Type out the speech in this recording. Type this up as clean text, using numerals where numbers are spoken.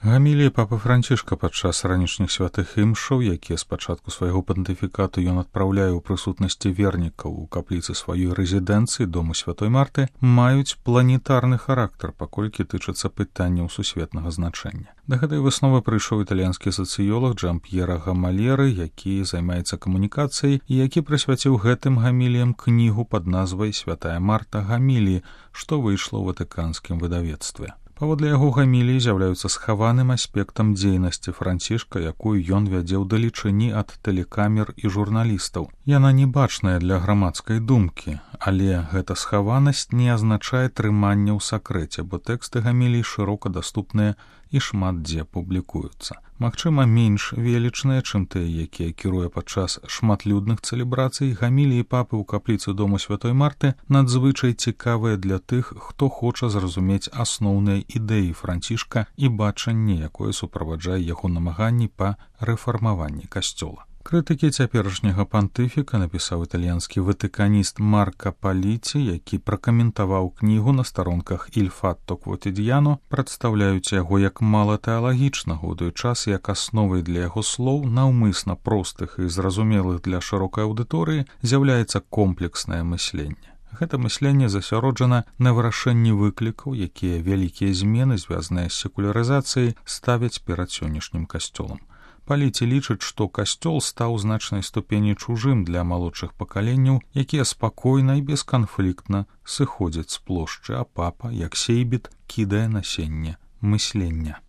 Гамілія папы Францішка падчас ранішніх святых імшаў, якія з пачатку свайго пантыфікату ён адпраўляе ў прысутнасці вернікаў у капліцы сваёй рэзідэнцыі дому Святой Марты, маюць планетарны характар, паколькі тычацца пытанняў сусветнага значэння. Да гэтай высновы прыйшоў італьянскі сацыёлог Джамп'ера Гамалеры, які займаецца камунікацыяй і які прысвяціў гэтым гаміліям кнігу пад назвай «Святая Марта Гаміліі», што выйшла ў ватыканскім выдавецтве. Паводле яго гаміліі з'яўляюцца схаваным аспектам дзейнасці Францішка, якую ён вядзе ў далечыні ад тэлекамер і журналістаў. Яна не бачная для грамадскай думкі, але гэта схаванасць не азначае трымання ў сакрэце, бо тэксты гамілій шырока даступныя і шмат дзе публікуюцца. Магчыма, менш велічныя, чым тыя, якія кіруе падчас шматлюдных цэлебрацый, гаміліі папы ў капліцы дому Святой Марты надзвычай цікавыя для тых, хто хоча зразумець асноўныя ідэі Францішка і бачанне, якое суправаджае яго намаганні па рэфармаванні касцёла. Крытыкі цяперашняга пантыфіка напісаў італьянскі ватыканіст Марка Паліці, які пракаментаваў кнігу на старонках «Il Fatto Quotidiano», прадстаўляюць яго як мала тэалагічнага, у той час як асновай для яго слоў, наўмысна простых і зразумелых для шырокай аўдыторыі, з'яўляецца комплекснае мысленне. Гэта мысленне засяроджана на вырашэнні выклікаў, якія вялікія змены, звязаныя з секулярызацыяй, ставяць перад сённяшнім касцёлам. Паліці лічыць, што касцёл стаў значнай ступені чужым для малодшых пакаленняў, якія спакойна і бесканфліктна сыходзяць з плошчы, а папа, як сейбіт, кідае насенне мыслення.